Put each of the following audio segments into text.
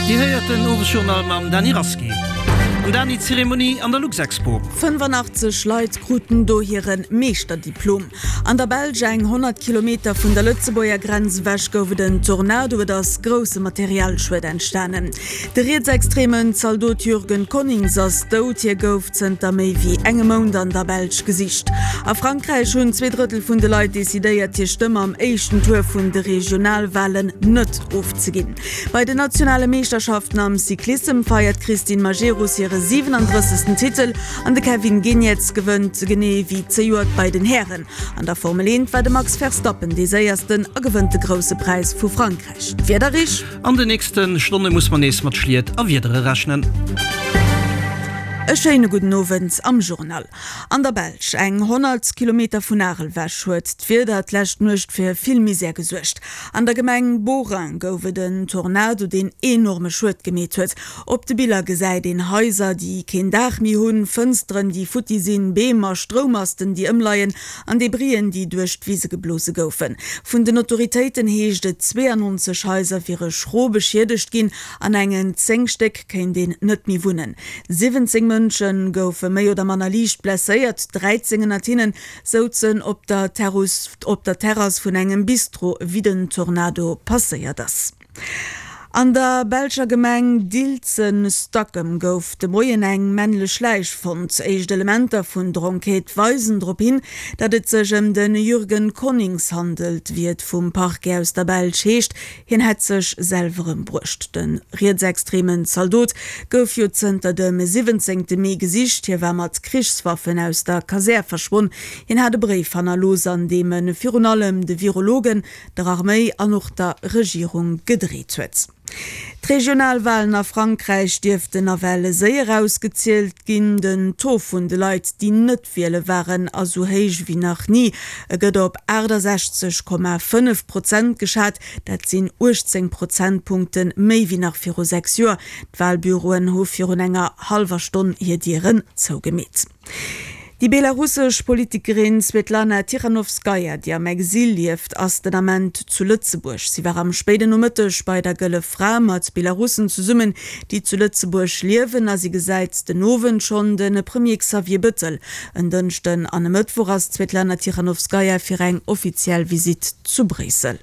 Dir héiert den Owesjournal mam Dany Rasqué. An Dany, Zeremonie an der Luxexpo. 85 Leit kruten do hire Meeschterdiplom. An der Belsch, eng 100 Kilometer vun der Lëtzebuerger Grenz ewech, gouf et en Tornado. Et ass grousse Materialschued entstanen. De rietsextremen Zaldot Jürgen Conings ass dout. Hie gouf zënter méi wéi engem Mount an der Belsch gesicht. A Frankräich hunn 2 Drëttel vun de Leit decidéiert, hir Stëmm am éischten Tour vun de Regionalwalen net ofzeginn. Bei den nationale Meeschterschaften am Cyclissem feiert d'Christine Majerus hire 37. Titel an de Kevin Geniets gewënnt genee wéi zejoert bei den Hären. An der Formel 1 war de Max Verstappen dee séiersten a gewënnt de Grousse Präis vu Frankräich. D'Wiederrich. An de nächste Stonne muss mer nees mat Schliet a Wiedere rechnen. E schéine gudden Owend am Journal. An der Belsch, eng 100 Kilometer vun Arel ewech, huet d'Wieder d'lescht Nuecht fir vill Misär gesuergt. An der Gemeng Beauraing gouf et en Tornado, deen enorme Schued gemeet huet. Op de Biller gesäit een Haiser, déi keen Daach méi hunn, Fënsteren, déi futti sinn, Beem a Stroummasten, déi ëmleien, an Debrien, déi duerch d'Wise geblose goufen. Vun den Autoritéiten heescht et, 92 Haiser wiere schro beschiedegt ginn, an engen 10 Stéck kéint een net méi wunnen. 17 Mënsche goufe méi oder manner liicht blesséiert, 13 ënnert hinnen souzen op der Terrass vun engem Bistro, wéi den Tornado passéiert ass. An der belscher Gemeng Dilzen-Stackem gouf de Moien eng männlech Läich fonnt. Éischt Elementer vun Dronkheet weisen drop hin, datt et sech ëm de Jürgen Conings handelt, wéi et vum Parquet aus der Belsch heescht. Hien hätt sech selwer ëmbruecht. De rietsextremen Zaldot gouf jo zënter dem 17. Mee gesicht. Hie war mat Krichswaffen aus der Kasär verschwonn. Hien hat e Bréif hannerlooss, an deem e virun allem de Virologen, der Arméi an och der Regierung gedreet huet. D'Regionalwalen a Frankräich dierften nawell séier ausgezielt ginn. Den Taux vun de Leit, déi net wiele waren, ass esou héich ewéi nach ni. E gëtt op 68,5 Prozent geschat, dat sinn 18 Prozentpunkte méi wéi nach viru 6 Joer. D'Walbüroen hu virun enger hallwer Stonn hir Dieren zougemeet. Déi belarussesch Politikerin Svetlana Tichanowskaja, déi am Exil lieft, ass den Ament zu Lëtzebuerg. Si war am spéiden Nomëtteg bei der Gëlle Fra mat Belarussen zesummen, déi zu Lëtzebuerg liewen a si gesäit den Owend schonn de Premier Xavier Bëttel. En Dënschden an e Mëttwoch ass d'Svetlana Tichanowskaja fir eng offiziell Visitt zu Bréissel.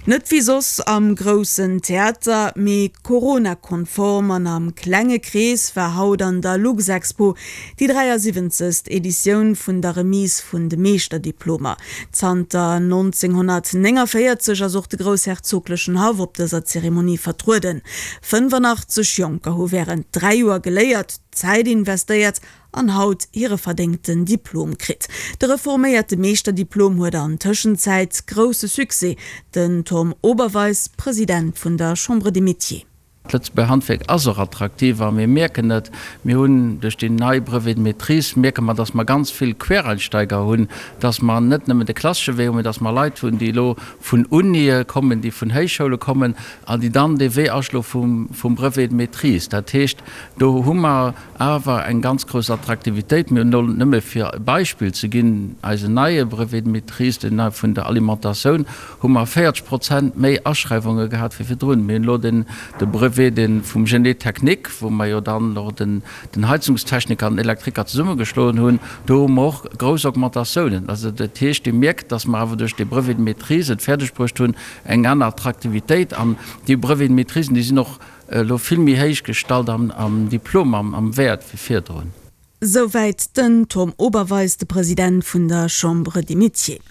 Net wéi soss am groussen Theater, mee Corona-konform an am klenge Krees war haut an der Luxexpo déi 73. Editioun vun der Remise vun de Meeschterdiplomer. Zanter 1949 ass och de groussherzoglechen Haff op dëser Zeremonie vertrueden. 85 Jonker hu wärend 3 Joer geléiert, Zäit investéiert an haut hire verdéngten Diplom kritt. De reforméierte Meeschterdiplom huet an Tëschenzäit grousse Succès, den Tom Oberweis, President vun der Chambre des Métiers. D'Lëtzebuerger Handwierk ass och attraktiv a mir mierken et, mir hunn duerch déi nei Brevet de maîtrise mierke mer, datt mer ganz vill Quereinsteiger hunn, datt mer net nëmmen de klassesche Wee hunn, mee datt mer Leit hunn, déi elo vun Unië kommen, déi vun Héichschoule kommen an déi dann dee Wee aschloe vum Brevet de maîtrise. Dat heescht, do hu mer Awer eng ganz grouss Attraktivitéit. Mir hunn elo, nëmme fir e Beispill ze ginn, eisen neie Brevet de maîtrise, deen nei vun der Alimentatioun, hu mer 40 Prozent méi Aschreiwunge gehat wéi virdrun. Mir hunn elo den de Brevet dee vum Génie technique, wou mer jo dann och den den Heizungstechniker an den Elektriker zesummegeschloen hunn, do hu mer och grouss Augmentatiounen. Also dat heescht, Dir mierkt, dass mer awer duerch dee Brevet de maîtrise et fäerdegbruecht hunn, eng aner Attraktivitéit an déi Brevets de maîtrisen, déi sinn och Elo vill méi héich gestallt am Diplom, am Wäert wéi virdrun. Souwäit den Tom Oberweis, de President vun der Chambre des Métiers.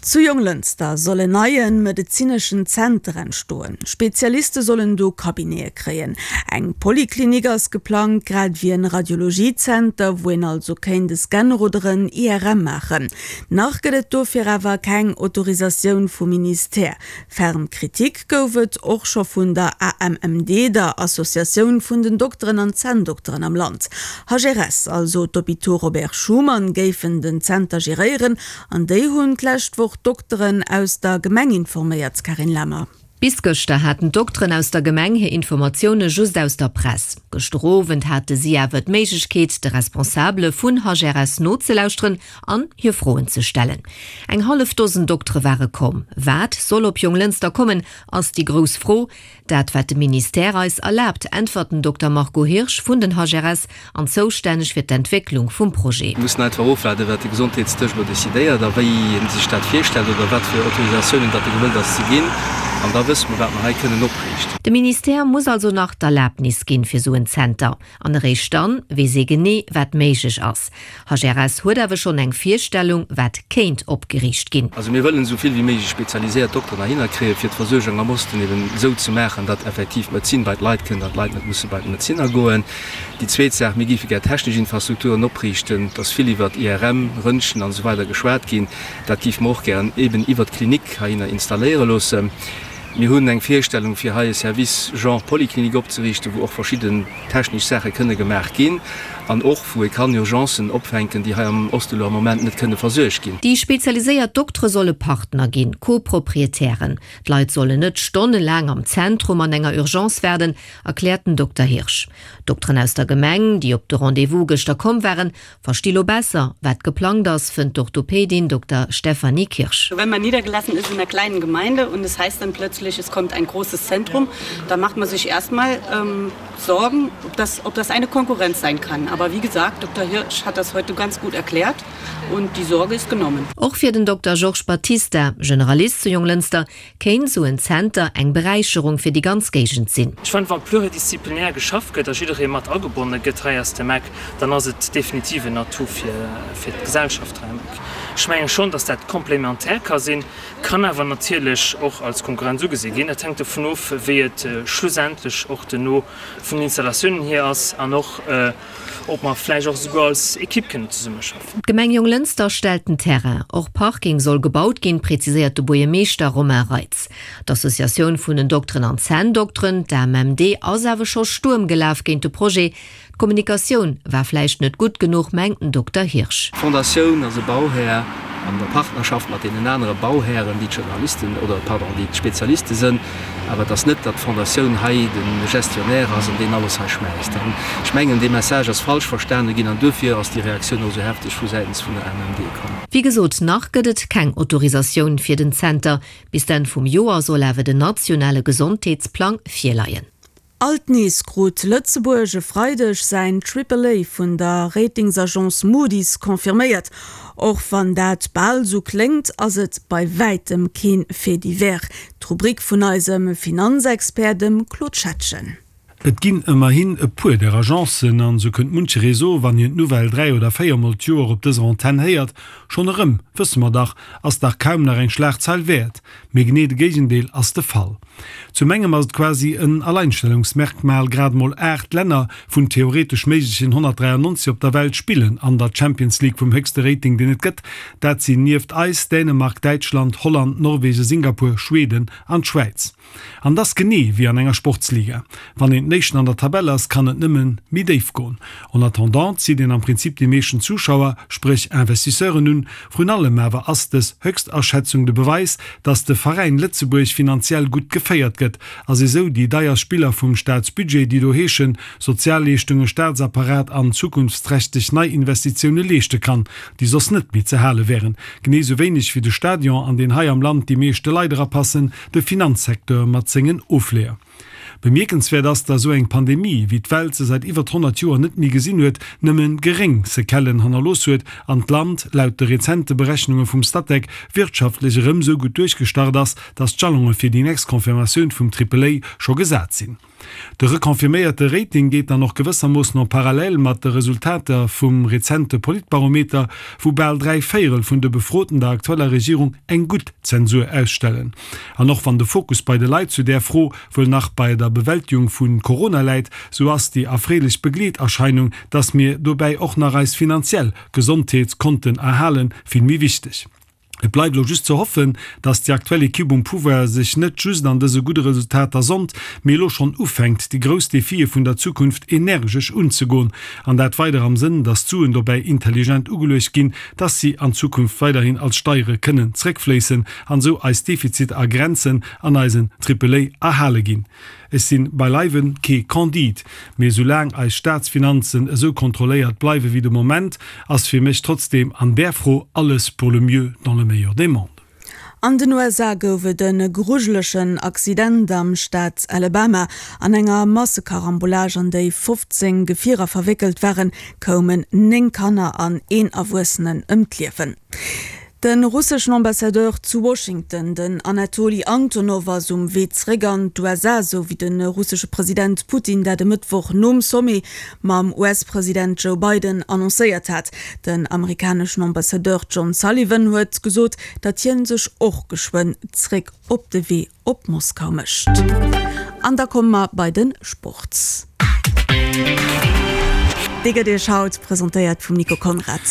Zu Jonglënster soll en neie medezineschen Zenter entstoen. Spezialiste sollen do Cabinete kréien. Eng Poliklinik ass geplangt, grad ewéi en Radiologiezenter, wou een also kéint e Scanner oder en IRM maachen. Nach gëtt et dofir awer keng Autorisatioun vum Ministère. Ferm Kritik gouf et och scho vun der AMMD, der Associatioun vun den Dokteren an Zänndokteren am Land. HRS, also d'Hôpitaux Robert Schuman, géifen den Zenter geréieren an déi hunn d'lescht Woch d'Dokteren aus der Gemeng informéiert, Carine Lemmer. Bis gëschter haten d'Dokteren aus der Gemeng hir Informatioune just aus der Press. Gëschter Owend hate si awer d'Méiglechkeet, de Responsabele vun HRS nozelauschteren an hir Froen ze stellen. Eng hallef Dosen Doktere ware komm. Wat soll op Jonglënster kommen, ass déi grouss Fro. Dat wat de Ministère eis erlaabt, äntwert den Dokter Marco Hirsch vun den HRS an zoustänneg fir d'Entwécklung vum Projet. Mir mussen einfach ofwaarden, wat de Gesondheetsdësch elo decidéiert a wéi e sech dat virstellt oder wat fir Autorisatiounen datt e gewëllt ass ze ginn. An da wësse mer, wat mer hei kënnen opriichten. De Ministère muss also nach d'Erlabnis ginn fir sou en Zenter. An eréischt dann weess ee genee, wat méiglech ass. HRS huet awer schonn eng Virstellung, wat kéint opgeriicht ginn. Also mir wëllen esou vill wéi méiglech spezialiséiert Dokteren heihinner kréien, fir d'Versuergung am Osten eben esou ze maachen, datt effektiv d'Medezin bei d'Leit kënnt an d'Leit net musse bei d'Medezinner goen. Déi zweet Saach, mir géife gär technesch Infrastrukturen opriichten. Et ass vill iwwert IRM, Röntgen an esou weider geschwat ginn. Dat géife mer och gären eben iwwert d'Klinik heihinner installéiere loossen. Mir hunn eng Virstellung, fir hei e Service genre Polyclinique opzeriichten, wou och verschidden technesch Saache kënne gemaach ginn an och wou ee kann Urgencen opfänken, déi hei am Oste elo am Moment net kënne versuergt ginn. Déi spezialiséiert Doktere solle Partner ginn, Co-Proprietären. D'Leit sollen net stonnelaang am Zentrum an enger Urgence waarden, erkläert den Dokter Hirsch. D'Dokteren aus der Gemeng, déi op de Rendez-vous gëschter komm waren, Versti lo besser, wat geplangt ass, fënnt d'Orthopädin Dokter Stefanie Kirsch. Wenn man niedergelassen ist in einer kleinen Gemeinde und es heißt dann plötzlich, es kommt ein großes Zentrum, da macht man sich erstmal ähm, Sorgen, ob das, ob das eine Konkurrenz sein kann. Aber wie gesagt, Dr. Hirsch hat das heute ganz gut erklärt und die Sorge ist genommen. Och fir den Dokter Georges Batista, Generalist zu Jonglënster, Kéint sou en Zenter eng Beräicherung fir déi ganz Géigend sinn? Ech fannen, wa pluridisziplinär geschafft gëtt a jidderee mat agebonne gëtt hei aus dem Eck, dann ass et definitiv en Atout fir fir d'Gesellschaft hei am Eck. Ech menge schonn, datt dat complémentaire ka sinn, kann awer natierlech och als Konkurrenz ugesi ginn. Dat hänkt dovun of, wéi et schlussendlech och duerno vun den Installatiounen hier ass an och, Ob mer vläicht och esouguer als Ekipp kënnen zesummeschaffen. D'Gemeng Jonglënster stellt den Terrain. Och Parking soll gebaut ginn, präziséiert de Buergermeeschter Romain Reitz. D'Associatioun vun den Dokteren an Zänndokteren, d'AMMD, ass awer scho Stuerm gelaf géint de Projet. D'Kommunikatioun war vläicht net gutt genuch, mengt den Dokter Hirsch. D'Fondatioun ass e Bauhär an der Partnerschaft mat deenen anere Bauhären, déi d'Journalisten, oder pardon, déi d'Spezialiste sënn. Awer et ass net, datt d'Fondatioun hei de Gestionnaire ass an deen alles hei schmäisst. An ech mengen, dee Message ass falsch verstane ginn an duerfir ass déi Reaktioun och esou hefteg vu säitens vun der AMMD komm. Wéi gesot, nach gëtt et keng Autorisatioun fir den Zenter. Bis d'Enn vum Joer soll awer den nationale Gesondheetsplang virleien. Alt nees krut Lëtzebuerg e Freideg säin Triple A vun der Ratingsagence Moody's confirméiert. Och wann dat bal sou kléngt, ass et bei wäitem keen Fait divers. D'Rubrik vun eisem Finanzexpert, dem Claude Schettgen. Et ginn ëmmerhin e puer där Agencen, an sou kënnt muncheree soen, wann hien d'Nouvelle 3 oder 4 mol d'Joer op dëser Antenn héiert, Schonn erëm, wësse mer dach, ass dach kaum nach eng Schlagzeil wäert. Mee genee de Géigendeel ass de Fall. Zum engem ass et quasi en Alleinstellungsmerkmal, grad emol 8 Länner vun theoretesch méiglechen 193 op der Welt spillen an der Champions League vum héchste Rating deen et gëtt. Dat sinn nieft eis Dänemark, Däitschland, Holland, Norwegen, Singapur, Schweden an d'Schwäiz. An et ass genee wéi an enger Sportsliga, wann een den Éischten an der Tabell ass, kann et nëmmen méi déif goen. En attendant zitt een am Prinzip déi meeschten Zuschauer, spréch Investisseuren un. Vrun allem awer ass dës Höchstaschätzung de Beweis, dass de Veräin Lëtzebuerg finanziell gutt geféiert gëtt a si sou déi deier Spiller vum Staatsbudget, déi do heeschen, Sozialleeschtungen, Staatsapparat an zukunftsträchteg Neiinvestitioune leeschte kann, déi soss net méi ze hale wären. Genee sou wéineg wéi de Stadion, an deen hei am Land déi meeschte Leit erapassen, de Finanzsecteur mat sengen Ofleeër. Bemierkenswäert ass, datt esou eng Pandemie, wéi d'Welt se säit iwwert 100 Joer net méi gesinn huet, nëmme geréng Sequellen hannerlooss huet an d'Land, laut de rezente Berechnunge vum Statec, wirtschaftlech erëm esou gutt duerchgestart ass, datt d'Jalonge fir déi nächst Confirmatioun vum Triple A scho gesat sinn. De reconfirméierte Rating geet dann och gewëssermoossen en parallèle mat de Resultater vum rezente Politbarometer, wou bal 3 Véierel vun de Befroten der aktueller Regierung eng gutt Zensur ausstellen. An och wann de Fokus bei de Leit zu där Fro wuel nach bei der Bewältigung vu Corona läit, sou ass déi erfreelech Begleeterscheinung, dass mir dobäi och nach eis finanziell Gesondheet konnten erhalen, vill méi wichteg. Et bleift elo just ze hoffen, dass déi aktuell Equipe um Pouvoir sech net just an dëse gudde Resultater sonnt, mee elo schonn ufänkt, déi grouss Defie vun der Zukunft energesch unzegoen. An dat weider am Sënn, dass d'Suen dobäi intelligent ugeluecht ginn, dass si an Zukunft weiderhin als Steiere kënnen zréckfléissen an esou eis Defiziter a Grenzen an eisen Triple A erhale ginn. Ech sinn beileiwen kee Candide, mee soulaang eis Staatsfinanzen esou kontrolléiert bleiwe wéi de Moment, ass fir mech trotzdem an där Fro alles pour le mieux dans le meilleur des mondes. An den USA gouf et e grujelegen Accident am Staat Alabama. An enger Massekarambolage, an déi 15 Gefierer verwéckelt waren, koumen 9 Kanner an een Erwuessenen ëm d'Liewen. De russeschen Ambassadeur zu Washington, den Anatoli Antonow, ass um Wee zeréck an d'USA, sou wéi de russesche President Putin dat e Mëttwoch nom Sommet mam US-President Joe Biden annoncéiert hat. Den amerikaneschen Ambassadeur John Sullivan huet gesot, datt hien sech och geschwënn zeréck op de Wee op Moskau mécht. An da komme mer bei de Sport. Dee gëtt Iech haut presentéiert vum Nico Conrad.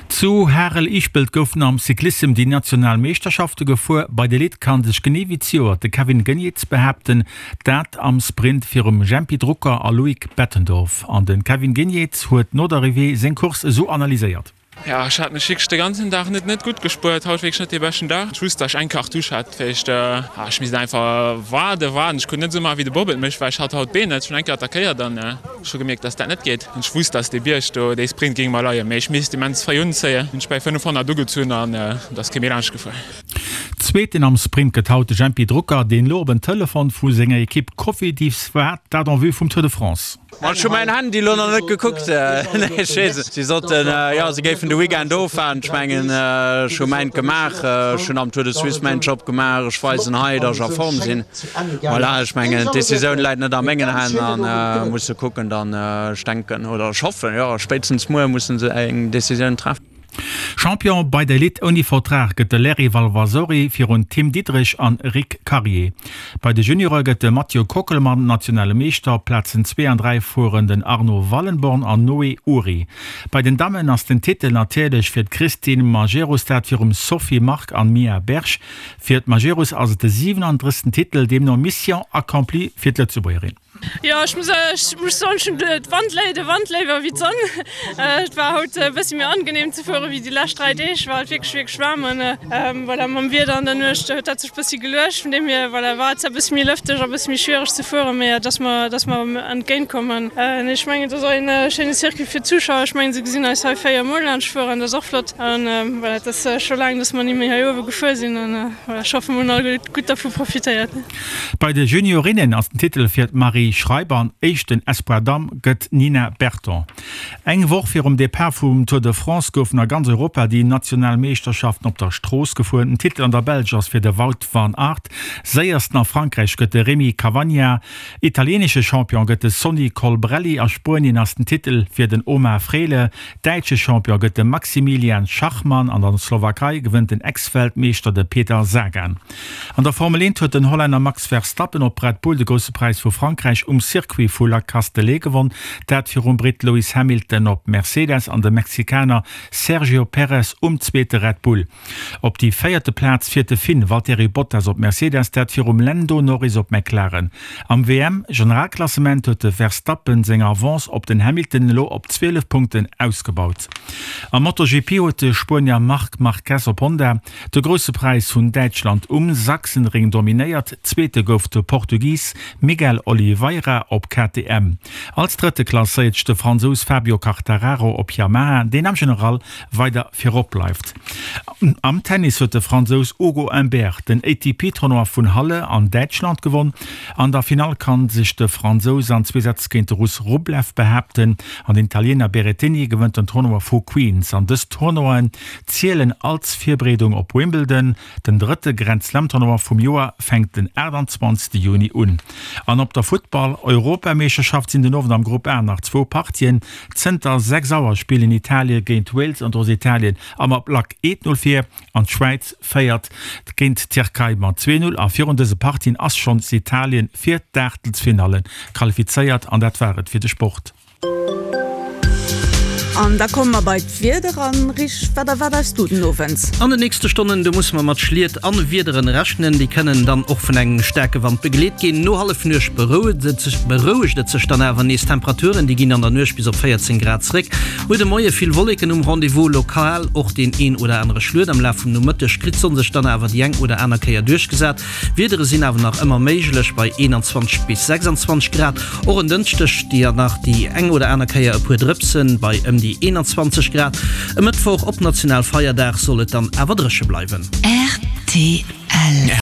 Zu Harel-Ischpelt goufen am Cyclissem déi national Meeschterschafte gefuer. Bei der Elite kann sech genee wéi zejoert de Kevin Geniets behaapten, dat am Sprint virum Jempy Drucker a Loïc Bettendorf. An de Kevin Geniets huet no der Arrivée seng Course esou analyséiert. Jo, ech hat mech wierklech de ganzen Dag net net gutt gespuert. Haut wierklech net dee beschten Dag. Ech wusst, datt ech eng Cartouche hat. Vielleicht, ah, ech misst einfach waarden, waarden. Ech konnt net esou maachen, wéi de Bob et mécht, well ech hat haut d'Been net. Ech hunn eng Kéier attackéiert an ech hu gemierkt, datt dat net geet. An ech wusst, datt dee Bierg do, dee Sprint géing mer leien, mee ech misst immens fréi unzéien. Hunn ech bäi 500 ugezunn an et ass kee méi laanscht gefuer. Zweeten am Sprint gëtt haut de Jempy Drucker, deen elo op en Telefon vu senger Ekipp Cofidis waart, dat en vue vum Tour de France. Ma ech hu mäin Handy elo nach net gekuckt. Nee, ech weess et. Si soten, jo, si géifen de Weekend ofwaarden. Ech mengen, ech hu mäint gemaach. Ech hunn am Tour de Suisse mäin Job gemaach. Ech weisen hei, datt ech a Form sinn. Voilà, ech mengen, d'Decisioun läit net a mengen Hänn a musse kucken dann. Ech denken oder ech hoffen, jo, spéitstens muer musse se eng Decisioun treffen. Champion bei der Elite ouni Vertrag gëtt de Larry Valvasori virun Tim Diederich an Rick Carrier. Bei de Juniore gëtt de Mathieu Kockelmann nationale Meeschter. Op Plazen 2 an 3 fueren den Arno Wallenborn an Noé Ury. Bei den Dammen ass den Titel natierlech fir d'Christine Majerus, dat virum Sophie Mark an Mia Berg. Fir d'Majerus ass et de 37. Titel, deemno Mission accomplie fir d'Lëtzebuergerin. Jo ech muss ech muss soen ech hunn d'Wand léi de Wand léiwer wéi d'Sonn. Et war haut e bëssi méi angenehm ze fuere wéi déi lescht 3 Deeg, war et wierklech wierklech waarm an voilà mam Wieder an der Nuecht huet dat sech bëssi geluecht. Vun deem hier voilà war et zwar bëssi méi lëfteg a bëssi méi schwiereg ze fueren, mee et ass mer et ass mer entgéint komm an ech mengen et ass och een schéine Circuit fir d'Zuschauer. Ech mengen se gesinn eis hei 4 mol laanscht fueren, dat ass och flott an voilà et ass scho laang dass mer ni méi hei uewe gefuer sinn an voilà ech hoffe mer hunn all gutt dervu profitéiert. Bei de Juniorinnen ass den Titel fir d'Marie Schreiber an éischten Espoir Damm gëtt d'Nina Berton. Eng Woch virum Depart vum Tour de France goufen a ganz Europa déi national Meeschterschaften op der Strooss gefuer. Den Titel an der Belsch ass fir de Wout van Aert, séiersten a Frankräich gëtt de Rémi Cavagna, italienesche Champion gëtt de Sonny Colbrelli, a Spuenien ass den Titel fir den Omar Fraile, däitsche Champion gëtt de Maximilian Schachmann an der Slowakei gewënnt den Ex-Weltmeeschter de Peter Sagan. An der Formel 1 huet den Hollänner Max Verstappen op Red Bull de Grousse Präis vu Frankräich um Circuit vu La Castellet gewonn, dat virum Britt Lewis Hamilton op Mercedes an dem Mexikaner Sergio Perez um zweete Red Bull. Op déi véierte Plaz fiert de Finn Valtteri Bottas op Mercedes, dat virum Lando Norris op McLaren. Am WM-Generalklassement huet de Verstappen seng Avance op den Hamilton elo op 12 Punkten ausgebaut. Am MotoGP huet de Spuenier Marc Marquez op Honda De Grousse Präis vun Däitschland um Sachsenring dominéiert, Zweete gouf de Portugis Miguel Oliveira op KTM. Als Drëtte klasséiert sech de Fransous Fabio Quartararo op Yamaha, deen am General weider virop bleift. Am Tennis huet de Fransous Ugo Humbert den ATP-Tournoi vun Halle an Däitschland gewonn. An der Finall kann sech de Fransous an zwee Sätz géint de Russ Rublev behaapten an den Italiener Berrettini gewënnt den Tournoi vu Queens. An dës Tournoien zielen als Virbereedung op Wimbledon. Den drëtte Grand Slam Tournoi vum Joer fänkt den 28 Juni un. An op der Futtball Europameeschterschaft sinn den Owend am Grupp A nach zwou Partien. Zënter 6 Auer spillen Italie géint Wales an do ass Italien am Ablack 1, 0 vir an d'Schwäiz féiert géint d'Tierkei mat 2, 0. A virun dëse Partien ass schonns Italien fir d'Aachtelsfinalle qualifizéiert. An dat war et fir de Sport. An da komme mer bei d'Wieder. An Rich, wat erwaart eis du den Owend? An den nächste Stonnen, do musse mer mat Schliet an Wiederen rechnen. Déi kënnen dann och vun engem staarke Wand begleet ginn. No Hallefnuecht berouegt et sech dann awer nees. D'Temperaturen, déi ginn an der Nuecht bis op 14 Grad zréck. Muer de Moie vill Wolleken um Rendez-vous, lokal och deen een oder anere Schluet. Am Laf vum Nomëtteg kritt d'Sonn sech dann awer déi eng oder aner Kéier duerchgesat. Wiedere sinn awer nach ëmmer méiglech bei 21 bis 26 Grad. Och en Dënschdeg déi nach déi eng oder aner Kéier e puer Drëpsen bei ëm déi 21 Grad. E Mëttwoch op Nationalfeierdag soll et dann awer dréche bleiwen. Rtl.